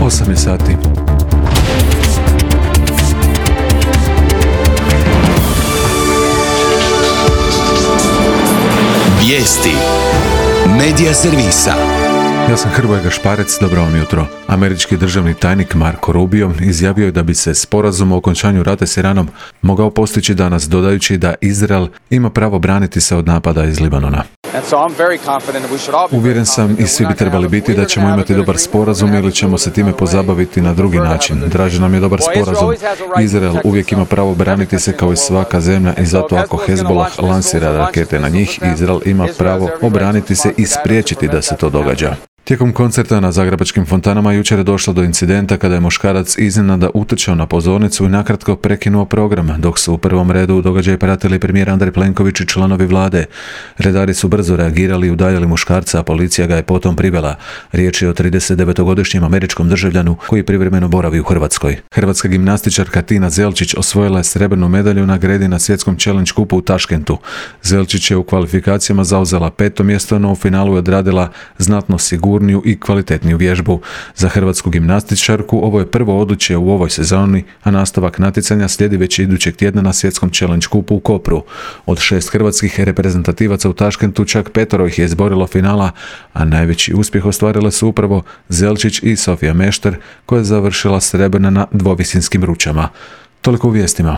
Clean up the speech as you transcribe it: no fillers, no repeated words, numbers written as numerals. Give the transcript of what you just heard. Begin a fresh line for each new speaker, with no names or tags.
8 je sati.
Vijesti Medija servisa.
Ja sam Hrvoje Gašparec, dobro vam jutro. Američki državni tajnik Marco Rubio izjavio je da bi se sporazum o okončanju rata s Iranom mogao postići danas, dodajući da Izrael ima pravo braniti se od napada iz Libanona. Uvjeren sam i svi bi trebali biti da ćemo imati dobar sporazum ili ćemo se time pozabaviti na drugi način. Draži nam je dobar sporazum. Izrael uvijek ima pravo braniti se kao i svaka zemlja i zato ako Hezbollah lansira rakete na njih, Izrael ima pravo obraniti se i spriječiti da se to događa. Tijekom koncerta na zagrebačkim fontanama jučer je došlo do incidenta kada je muškarac iznenada utrčao na pozornicu i nakratko prekinuo program, dok su u prvom redu događaj pratili premijer Andrej Plenković i članovi vlade. Redari su brzo reagirali i udaljili muškarca, a policija ga je potom privela. Riječ je o 39-godišnjem američkom državljanu koji privremeno boravi u Hrvatskoj. Hrvatska gimnastičarka Tina Zelčić osvojila je srebrnu medalju na gredi na svjetskom challenge kupu u Taškentu. Zelčić je u kvalifikacijama zauzela 5. mjesto, no u finalu je odradila znatno sigurniju i kvalitetniju vježbu. Za hrvatsku gimnastičarku ovo je prvo odličje u ovoj sezoni, a nastavak natjecanja slijedi već idućeg tjedna na svjetskom challenge kupu u Kopru. Od 6 hrvatskih reprezentativaca u Taškentu čak 5 ih je izborilo finala, a najveći uspjeh ostvarile su upravo Zelčić i Sofija Mešter, koja je završila srebrna na dvovisinskim ručama. Toliko u vijestima.